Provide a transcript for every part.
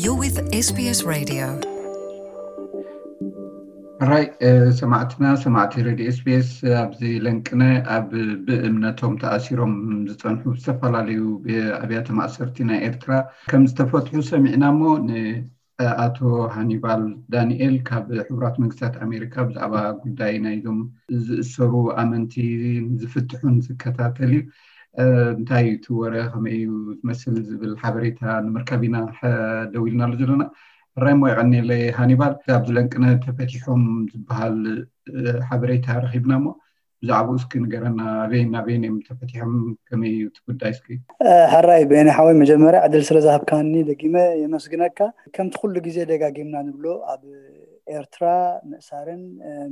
You're with SBS Radio. ራይ ሰማዕትና ሰማዕቲ ሬድዮ ኤስቢኤስ፣ ኣብዚ ለንቅነ ኣብ ብእምነቶም ተኣሲሮም ዝፀንሑ ዝተፈላለዩ ኣብያተ ማእሰርቲ ናይ ኤርትራ ከም ዝተፈትሑ ሰሚዕና እሞ፣ ንኣቶ ሃኒባል ዳንኤል ካብ ሕቡራት መንግስታት ኣሜሪካ ብዛዕባ ጉዳይ ናይዞም ዝእሰሩ ኣመንቲ ዝፍትሑን ዝከታተል እዩ። እንታይ እዩ እቲ ወረ፣ ከመይ እዩ ዝመስል ዝብል ሓበሬታ ንምርካብ ኢና ደዊልናሉ ዘለና። ሕራይ እሞ የቐንየለይ ሃኒባል። ኣብዚ ለንቅነ ተፈቲሖም ዝበሃል ሓበሬታ ረኺብና እሞ ብዛዕባኡ እስኪ ንገረና። ኣበይን ኣበይን እዮም ተፈቲሖም? ከመይ እዩ እቲ ጉዳይ እስኪ? ሕራይ በየነ ሓወይ፣ መጀመርያ ዕድል ስለ ዝሃብካኒ ደጊመ የመስግነካ። ከምቲ ኩሉ ግዜ ደጋጊምና ንብሎ፣ ኣብ ኤርትራ ምእሳርን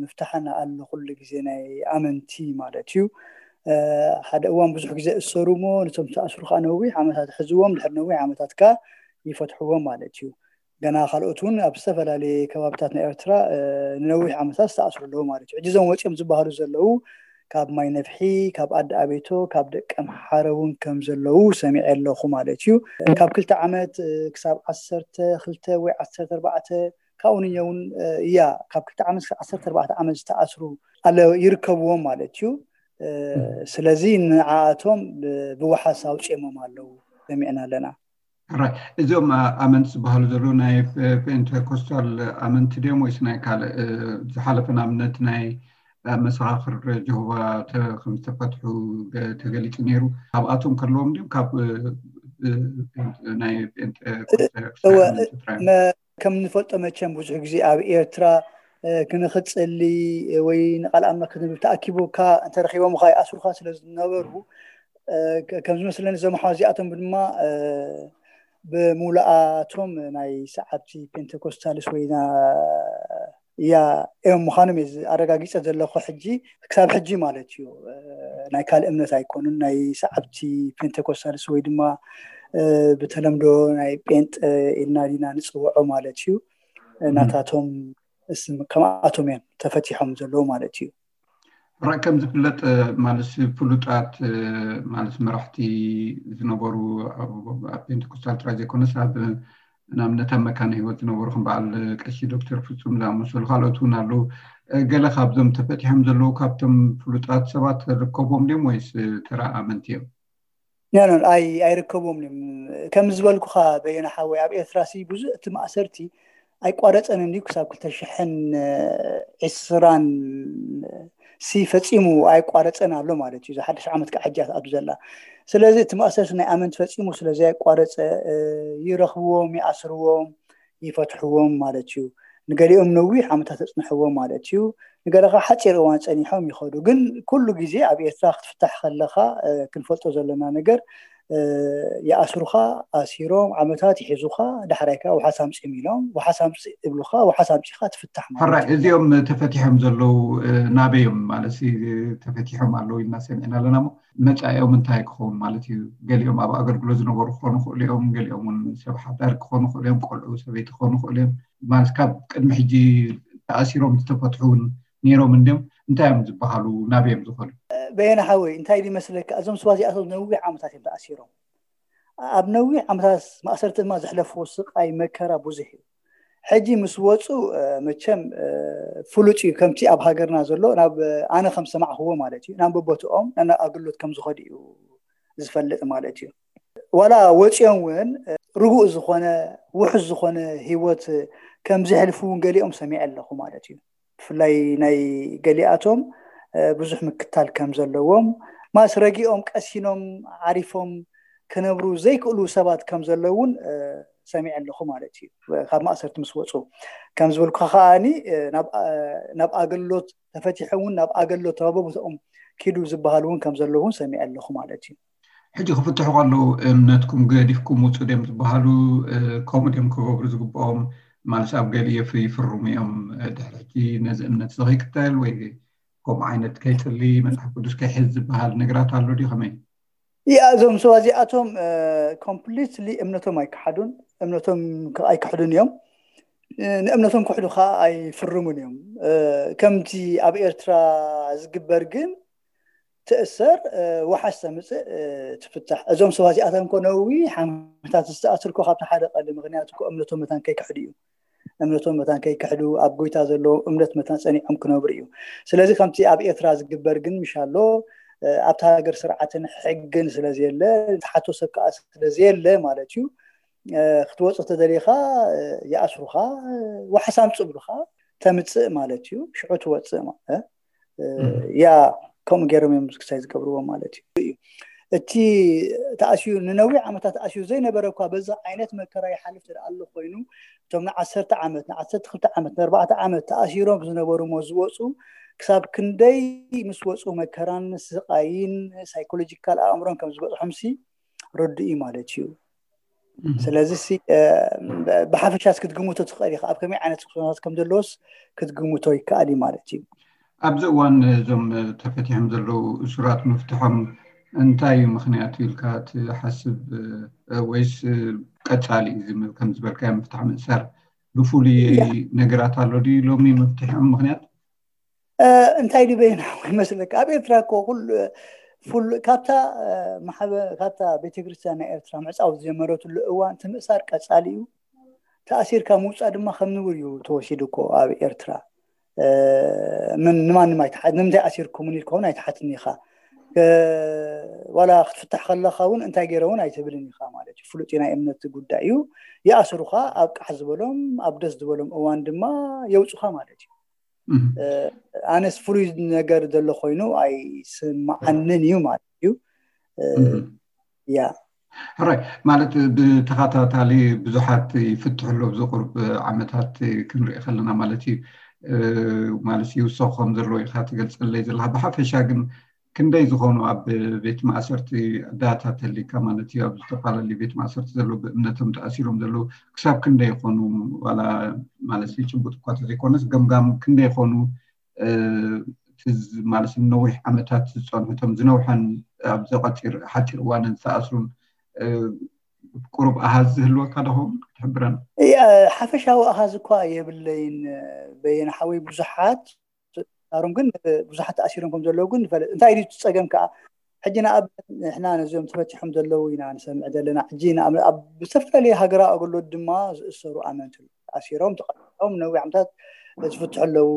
ምፍታሕን ኣሎ ኩሉ ግዜ ናይ ኣመንቲ ማለት እዩ። ሓደ እዋን ብዙሕ ግዜ እሰሩ እሞ ነቶም ዝተኣስሩ ከዓ ነዊሕ ዓመታት ሕዝዎም፣ ድሕሪ ነዊሕ ዓመታት ከዓ ይፈትሕዎም ማለት እዩ። ገና ካልኦት እውን ኣብ ዝተፈላለየ ከባብታት ናይ ኤርትራ ንነዊሕ ዓመታት ዝተኣስሩ ኣለዉ ማለት እዩ። ሕጂ እዞም ወፂኦም ዝበሃሉ ዘለዉ ካብ ማይ ነፍሒ፣ ካብ ኣዲ ኣቤቶ፣ ካብ ደቀምሓረ እውን ከም ዘለዉ ሰሚዐ ኣለኹ ማለት እዩ። ካብ ክልተ ዓመት ክሳብ ዓሰርተ ክልተ ወይ ዓሰርተ ኣርባዕተ ካብኡ ንየ እውን እያ ካብ ክልተ ዓመት ክሳብ ዓሰርተ ኣርባዕተ ዓመት ዝተኣስሩ ኣለ ይርከብዎም ማለት እዩ። ስለዚ ንዓኣቶም ብዋሓስ ኣውፅኦሞም ኣለዉ ሰሚዕና ኣለና። ሕራይ እዚኦም ኣመንቲ ዝበሃሉ ዘለዉ ናይ ፔንቴኮስታል ኣመንቲ ድዮም ወይስ ናይ ካልእ? ዝሓለፈ ንኣብነት ናይ መሰኻኽር ጀሆቫ ከም ዝተፈትሑ ተገሊፁ ነይሩ። ካብኣቶም ከለዎም ድዮም ካብ ናይ ፔንቴኮስታል ኣመንቲ ጥራይ? ከም ንፈልጦ መቸም ብዙሕ ግዜ ኣብ ኤርትራ ክንክፅሊ ወይ ንቃል ኣምላኽ ክንብል ተኣኪቦካ እንተረኺቦምኻ ይኣስሩኻ ስለ ዝነበሩ፣ ከም ዝመስለኒ እዞም ኣሕዋት እዚኣቶም ድማ ብሙሉኣቶም ናይ ሰዓብቲ ፔንቴኮስታልስ ወይ ያ እዮም ምዃኖም እየ ኣረጋጊፀ ዘለኹ። ሕጂ ክሳብ ሕጂ ማለት እዩ ናይ ካልእ እምነት ኣይኮኑን፣ ናይ ሰዓብቲ ፔንቴኮስታልስ ወይ ድማ ብተለምዶ ናይ ጴንጠ ኢልና ዲና ንፅውዖ ማለት እዩ። ናታቶም ስም ከምኣቶም እዮም ተፈቲሖም ዘለዉ ማለት እዩ። ሕራይ ከም ዝፍለጥ ማለት ፍሉጣት ማለት መራሕቲ ዝነበሩ ኣብ ፔንቴኮስታል ጥራይ ዘይኮነስ ኣብ ንኣብነት ኣብ መካነ ህይወት ዝነበሩ ከም በዓል ቀሺ ዶክተር ፍጹም ዝኣመሰሉ ካልኦት እውን ኣለዉ። ገለ ካብዞም ተፈቲሖም ዘለዉ ካብቶም ፍሉጣት ሰባት ርከቦም ድዮም ወይስ ተራ ኣመንቲ እዮም? ኣይርከቦም እዮም። ከም ዝበልኩኻ በየነ ሓወይ ኣብ ኤርትራ ሲ ብዙ እቲ ማእሰርቲ ኣይቋረፀን እንዲ ክሳብ ክልተ ሽሕን ዕስራን ሲ ፈፂሙ ኣይቋረፀን ኣሎ ማለት እዩ። ሓድሽ ዓመት ከዓ ሕጃት ኣብ ዘላ ስለዚ እቲ ማእሰርቲ ናይ ኣመንቲ ፈፂሙ ስለዚ ኣይቋረፀ ይረኽብዎም ይኣስርዎም ይፈትሕዎም ማለት እዩ። ንገሊኦም ነዊሕ ዓመታት ተፅንሕዎም ማለት እዩ። ንገለ ከዓ ሓፂር እዋን ፀኒሖም ይኸዱ። ግን ኩሉ ግዜ ኣብ ኤርትራ ክትፍታሕ ከለኻ ክንፈልጦ ዘለና ነገር ይኣስሩኻ፣ ኣሲሮም ዓመታት ይሒዙኻ፣ ዳሕራይ ከዓ ውሓስ ኣምፅኦም ኢሎም ውሓስ ኣምፅእ እብሉኻ፣ ውሓስ ኣምፂኻ ትፍታሕ ማለት ሕራይ እዩ። እዚኦም ተፈቲሖም ዘለዉ ናበዮም ማለት ተፈቲሖም ኣለዉ ኢልና ሰሚዕና ኣለና እሞ መፃኢኦም እንታይ ክኸውን ማለት እዩ? ገሊኦም ኣብ ኣገልግሎት ዝነበሩ ክኾኑ ይኽእሉ እዮም፣ ገሊኦም እውን ሰብ ሓዳር ክኾኑ ይኽእሉ እዮም፣ ቆልዑ ሰበይቲ ክኾኑ ይኽእሉ እዮም። ማለት ካብ ቅድሚ ሕጂ ተኣሲሮም ዝተፈትሑ እውን ነይሮም እንድዮም? እንታይ እዮም ዝበሃሉ? ናበዮም ዝኸዱ? በየነ ሓወይ እንታይ ይመስለካ፣ እዞም ሰባት እዚኣቶም ነዊሕ ዓመታት እዮም ተኣሲሮም። ኣብ ነዊሕ ዓመታት ማእሰርቲ ድማ ዘሕለፍዎ ስቃይ መከራ ብዙሕ እዩ። ሕጂ ምስ ወፁ መቸም ፍሉጥ እዩ። ከምቲ ኣብ ሃገርና ዘሎ ናብ ኣነ ከም ሰማዕክዎ ማለት እዩ ናብ በቦትኦም ናብ ኣገልግሎት ከም ዝኸዱ እዩ ዝፈልጥ ማለት እዩ። ዋላ ወፂኦም እውን ርጉእ ዝኾነ ውሑስ ዝኾነ ህይወት ከም ዘሕልፉ እውን ገሊኦም ሰሚዐ ኣለኹ ማለት እዩ። ብፍላይ ናይ ገሊኣቶም ብዙሕ ምክታል ከም ዘለዎም ማስ ረጊኦም ቀሲኖም ዓሪፎም ክነብሩ ዘይክእሉ ሰባት ከም ዘለውን ሰሚዐ ኣለኹ ማለት እዩ። ካብ ማእሰርቲ ምስ ወፁ ከም ዝበልኩ ከዓኒ ናብ ኣገልግሎት ተፈቲሖም እውን ናብ ኣገልግሎት ተባቦ ቦታኦም ኪዱ ዝበሃል እውን ከም ዘለውን ሰሚዐ ኣለኹ ማለት እዩ። ሕጂ ክፍትሑ ከለዉ እምነትኩም ገዲፍኩም ውፁ ድዮም ዝበሃሉ? ከምኡ ድዮም ክገብሩ ዝግብኦም? ማለት ኣብ ገሊኡ ይፍርሙ እዮም ድሕሪ ሕጂ ነዚ እምነት እዚ ከይክተል ወይ ከምኡ ዓይነት ከይፅሊ መፅሓፍ ቅዱስ ከይሕዝ ዝበሃል ነገራት ኣሎ ድዩ? ከመይ? ያ እዞም ሰባት እዚኣቶም ኮምፕሊትሊ እምነቶም ኣይከሓዱን፣ እምነቶም ኣይከሕዱን እዮም። ንእምነቶም ክሕዱ ከዓ ኣይፍርሙን እዮም። ከምቲ ኣብ ኤርትራ ዝግበር ግን ትእሰር፣ ዋሓስ ተምፅእ፣ ትፍታሕ። እዞም ሰባት እዚኣቶም ኮ ነዊሕ ዓመታት ዝተኣስርኮ ካብቲ ሓደ ቀሊ ምክንያት ኮ እምነቶም መታን ከይክሕዱ እዩ። እምነቶም መታን ከይክሕዱ፣ ኣብ ጎይታ ዘለዎ እምነት መታን ፀኒዖም ክነብሩ እዩ። ስለዚ ከምቲ ኣብ ኤርትራ ዝግበር ግን ምሻሎ ኣብታ ሃገር ስርዓትን ሕግን ስለዘየለ፣ ተሓቶ ሰብ ከዓ ስለዘየለ ማለት እዩ። ክትወፅእ ተደሊኻ ይኣስሩኻ፣ ዋሕስ ኣምፅእ ብሉኻ፣ ተምፅእ ማለት እዩ። ሽዑ ትወፅእ ማለት ያ ከምኡ ገይሮም እዮም ክሳይ ዝገብርዎ ማለት እዩ። እቲ ተኣስዩ ንነዊሕ ዓመታት ተኣስዩ ዘይነበረ እኳ በዛ ዓይነት መከራ ይሓልፍ ትደኣ ኣሎ ኮይኑ፣ እቶም ንዓሰርተ ዓመት፣ ንዓሰርተ ክልተ ዓመት፣ ንኣርባዕተ ዓመት ተኣሲሮም ዝነበሩ እሞ ዝወፁ፣ ክሳብ ክንደይ ምስ ወፁ መከራን ስቃይን ሳይኮሎጂካል ኣእምሮን ከም ዝበፅሖምሲ ርዱእ እዩ ማለት እዩ። ስለዚ ብሓፈሻስ ክትግምቶ ትኽእል ኢኻ፣ ኣብ ከመይ ዓይነት ኩነታት ከም ዘለዎስ ክትግምቶ ይከኣል እዩ ማለት እዩ። ኣብዚ እዋን እዞም ተፈቲሖም ዘለዉ እሱራት ምፍትሖም እንታይ እዩ ምክንያቱ ኢልካ ትሓስብ? ወይስ ቀፃሊ እዩ ዝምል ከም ዝበልካዮ ምፍታሕ ምእሳር ብፍሉይ ነገራት ኣሎ ድዩ ሎሚ ምፍትሖም ምክንያት? እንታይ ድበይና ይመስለካ? ኣብ ኤርትራ እኮ ኩሉ ካብታ ማሕበ ካብታ ቤተክርስትያን ናይ ኤርትራ ምዕፃው ዝጀመረትሉ እዋን እቲ ምእሳር ቀፃሊ እዩ። ተኣሲርካ ምውፃእ ድማ ከም ንቡር እዩ ተወሲዱ እኮ ኣብ ኤርትራ። ምን ንማንም ኣይትሓት ንምንታይ ኣሲርኩምን ኢልካ እውን ኣይትሓትን ኢኻ። ዋላ ክትፍታሕ ከለካ እውን እንታይ ገይረ እውን ኣይትብልን ኢኻ ማለት እዩ። ፍሉጥ ናይ እምነት ጉዳይ እዩ። ይኣስሩኻ፣ ኣብ ቃሕ ዝበሎም ኣብ ደስ ዝበሎም እዋን ድማ የውፁኻ ማለት እዩ። ኣነስ ፍሉይ ነገር ዘሎ ኮይኑ ኣይስማዓንን እዩ ማለት እዩ። ያ ሕራይ ማለት ብተኸታታሊ ብዙሓት ይፍትሑ ኣሎ ኣብዚ ቁርብ ዓመታት ክንርኢ ከለና ማለት እዩ። ማለት ይውሰኹ ከም ዘለዎ ኢኻ ትገልፀለይ ዘለካ። ብሓፈሻ ግን ክንደይ ዝኾኑ ኣብ ቤት ማእሰርቲ ዳታ ተሊካ ማለት እዩ ኣብ ዝተፈላለዩ ቤት ማእሰርቲ ዘለዉ ብእምነቶም ተኣሲሮም ዘለዉ ክሳብ ክንደይ ይኾኑ? ዋላ ማለት ጭቡጥ እኳ ተዘይኮነስ ገምጋም ክንደይ ይኾኑ? ማለት ነዊሕ ዓመታት ዝፀንሑቶም ዝነውሐን ኣብ ዘቐፂር ሓፂር እዋንን ዝተኣስሩን ቁሩብ ኣሃዝ ዝህልወካ ዶ ኸውን ክትሕብረን? ሓፈሻዊ ኣሃዝ እኳ የብለይን በየነ ሓወይ። ብዙሓት ኣሮም ግን ብዙሓት ተኣሲሮም ከም ዘለዉ ግን ንፈልጥ። እንታይ እዩ ጸገም ከዓ? ሕጂ ንኣብነት ንሕና ነዚኦም ተፈቲሖም ዘለዉ ኢና ንሰምዕ ዘለና። ሕጂ ኣብ ዝተፈላለዩ ሃገራዊ ኣገልግሎት ድማ ዝእሰሩ ኣመንቲ ኣለዉ። ተኣሲሮም ተቐጢዖም ነዊሕ ዓመታት ዝፍትሑ ኣለዉ።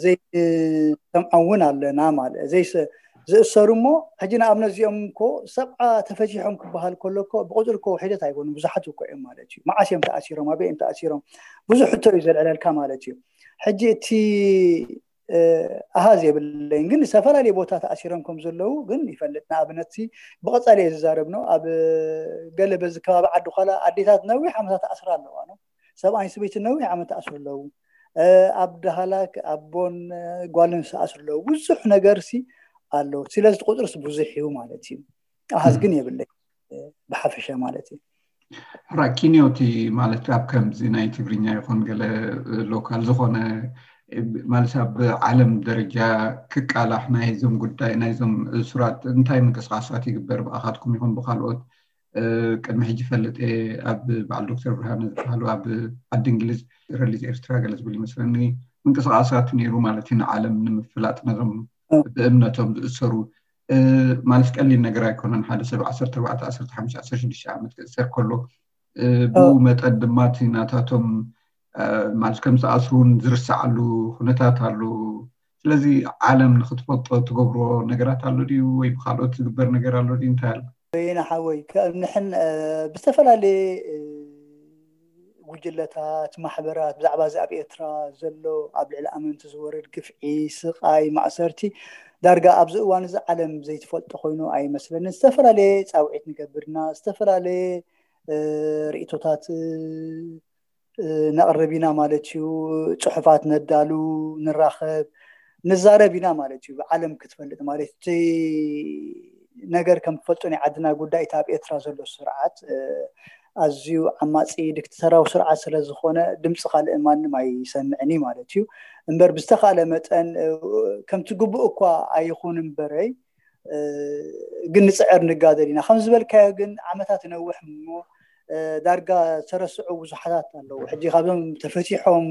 ዘይሰምዖም እውን ኣለና ማለት ዘይሰ ዝእሰሩ እሞ ሕጂ ንኣብነት እዚኦም እኮ ሰብዓ ተፈቲሖም ክበሃል ከሎ እኮ ብቁፅሪ እኮ ውሒደት ኣይኮኑ ብዙሓት እኮ እዮም ማለት እዩ። መዓስ እዮም ተኣሲሮም? ኣበይ እዮም ተኣሲሮም? ብዙሕ ሕቶ እዩ ዘልዕለልካ ማለት እዩ። ሕጂ እቲ ኣሃዝ የብለይን ግን ዝተፈላለየ ቦታ ተኣሲሮም ከም ዘለዉ ግን ይፈልጥ። ንኣብነት ብቐፃሊ እየ ዝዛረብ ነው ኣብ ገለ በዚ ከባቢ ዓዲ ኳላ ኣዴታት ነዊሕ ዓመታት ተኣስራ ኣለዋ ነው። ሰብኣይን ሰበይትን ነዊሕ ዓመት ተኣስሩ ኣለዉ። ኣብ ዳህላክ ኣቦን ጓልን ዝተኣስሩ ኣለዉ። ብዙሕ ነገር ሲ ኣሎ። ስለዚ ቁፅርስ ብዙሕ እዩ ማለት እዩ። ኣሃዝ ግን የብለይ ብሓፈሻ ማለት እዩ። ሕራይ ኪንዮቲ ማለት ኣብ ከምዚ ናይ ትግርኛ ይኹን ገለ ሎካል ዝኾነ ማለት ኣብ ዓለም ደረጃ ክቃላሕ ናይዞም ጉዳይ ናይዞም እሱራት እንታይ ምንቅስቃሳት ይግበር ብኣኻትኩም ይኹን ብካልኦት? ቅድሚ ሕጂ ፈልጥ እየ ኣብ በዓል ዶክተር ብርሃነ ዝበሃሉ ኣብ ዓዲ እንግሊዝ ሪሊዝ ኤርትራ ገለ ዝብል ይመስለኒ ምንቅስቃሳት ነይሩ ማለት እዩ ንዓለም ንምፍላጥ ነዞም ብእምነቶም ዝእሰሩ ማለት ቀሊል ነገር ኣይኮነን ሓደ ሰብ ዓሰርተ ኣርባዕተ ዓሰርተ ሓሙሽተ ዓሰርተ ሽዱሽተ ዓመት ክእሰር ከሎ ብኡ መጠን ድማ እቲ ናታቶም ማለት ከም ዝኣስሩን ዝርሰዓሉ ኩነታት ኣሎ። ስለዚ ዓለም ንክትፈልጦ ትገብሮ ነገራት ኣሎ ድዩ ወይ ብካልኦት ዝግበር ነገር ኣሎ ድዩ እንታይ ኣሎ? በየነ ሓወይ ንሕን ብዝተፈላለየ ጉጅለታት ማሕበራት ብዛዕባ እዚ ኣብ ኤርትራ ዘሎ ኣብ ልዕሊ ኣመንቲ ዝወርድ ግፍዒ ስቃይ ማእሰርቲ ዳርጋ ኣብዚ እዋን እዚ ዓለም ዘይትፈልጦ ኮይኑ ኣይመስለንን። ዝተፈላለየ ፃውዒት ንገብርና ዝተፈላለየ ርእቶታት ነቕርብ ኢና ማለት እዩ። ፅሑፋት ነዳሉ ንራኸብ ንዛረብ ኢና ማለት እዩ። ዓለም ክትፈልጥ ማለት እቲ ነገር ከም ትፈልጦ ናይ ዓድና ጉዳይ እቲ ኣብ ኤርትራ ዘሎ ስርዓት ኣዝዩ ዓማፂ ዲክተተራዊ ስርዓት ስለዝኾነ ድምፂ ካልእ ማንም ኣይሰምዕን እዩ ማለት እዩ። እምበር ብዝተኻለ መጠን ከምቲ ግቡእ እኳ ኣይኹን እምበረይ ግን ንፅዕር ንጋደል ኢና ከም ዝበልካዮ ግን ዓመታት ይነውሕ እሞ ዳርጋ ዝተረስዑ ብዙሓታት ኣለዉ። ሕጂ ካብዞም ተፈቲሖም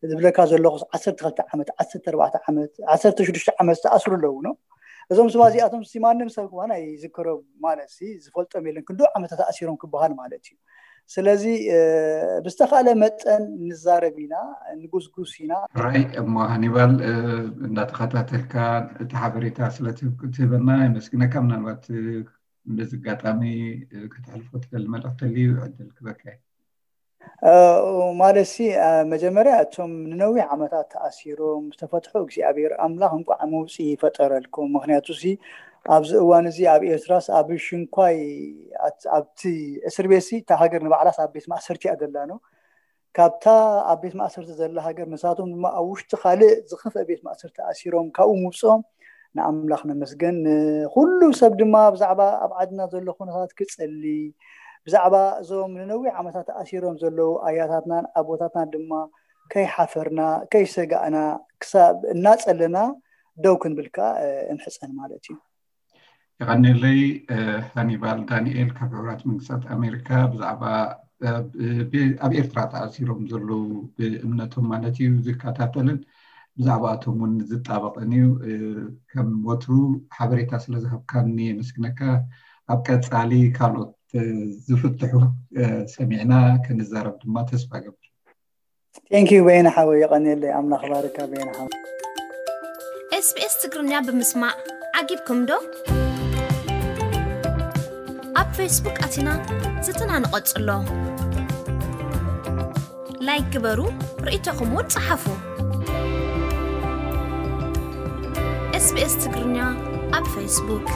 ዝብለካ ዘለኹ ዓሰርተ ክልተ ዓመት ዓሰርተ ኣርባዕተ ዓመት ዓሰርተ ሽዱሽተ ዓመት ዝተኣስሩ ኣለዉ ነው። እዞም ስባ እዚኣቶም ሲ ማንም ሰብ ክባና ይዝክሮ ማለት ሲ ዝፈልጦም የለን ክንዲ ዓመታት ተኣሲሮም ክበሃል ማለት እዩ። ስለዚ ብዝተኻለ መጠን ንዛረብ ኢና፣ ንጉስጉስ ኢና። ራይ እሞ ሃኒባል እንዳተኸታተልካ እቲ ሓበሬታ ስለትህበና የመስግነካ። ምናልባት በዚ ኣጋጣሚ ከተሕልፎ ትደሊ መልእኽቲ ተልዩ ዕድል ክበካ። ማለት ሲ መጀመርያ እቶም ንነዊሕ ዓመታት ተኣሲሮም ዝተፈትሑ እግዚኣብሔር ኣምላኽ እንቋዕ መውፅኢ ይፈጠረልኩም። ምክንያቱ ሲ ኣብዚ እዋን እዚ ኣብ ኤርትራስ ኣብ ሽንኳይ ኣብቲ እስር ቤት ሲ እታ ሃገር ንባዕላስ ኣብ ቤት ማእሰርቲ እያ ዘላ ነው። ካብታ ኣብ ቤት ማእሰርቲ ዘላ ሃገር ንሳቶም ድማ ኣብ ውሽጢ ካልእ ዝኸፍአ ቤት ማእሰርቲ ኣሲሮም ካብኡ ምውፅኦም ንኣምላኽ ነመስገን። ንኩሉ ሰብ ድማ ብዛዕባ ኣብ ዓድና ዘሎ ኩነታት ክጸሊ፣ ብዛዕባ እዞም ንነዊሕ ዓመታት ተኣሲሮም ዘለዉ ኣያታትናን ኣቦታትናን ድማ ከይሓፈርና ከይሰጋእና ክሳብ እናጸለና ደው ክንብል ከኣ እንሕጸን ማለት እዩ። የቐንየለይ። ሃኒባል ዳንኤል ካብ ሕቡራት መንግስታት ኣሜሪካ ብዛዕባ ኣብ ኤርትራ ተኣሲሮም ዘለዉ ብእምነቶም ማለት እዩ ዝከታተልን ብዛዕባኣቶም እውን ዝጣበቕን እዩ። ከም ወትሩ ሓበሬታ ስለ ዝሃብካኒ የመስግነካ። ኣብ ቀጻሊ ካልኦት ዝፍትሑ ሰሚዕና ክንዛረብ ድማ ተስፋ ገብር። Thank you በየነ ሓወይ፣ የቐንየለይ። ኣምላኽ ባርካ በየነ ሓወይ። SBS ትግርኛ ብምስማዕ ዓጊብኩም ዶ? ኣብ ፌስቡክ ኣቲና ዝትና ንቐጽሎ። ላይክ ግበሩ፣ ርእይቶኹም እውን ጸሓፉ። SBS ትግርኛ ኣብ ፌስቡክ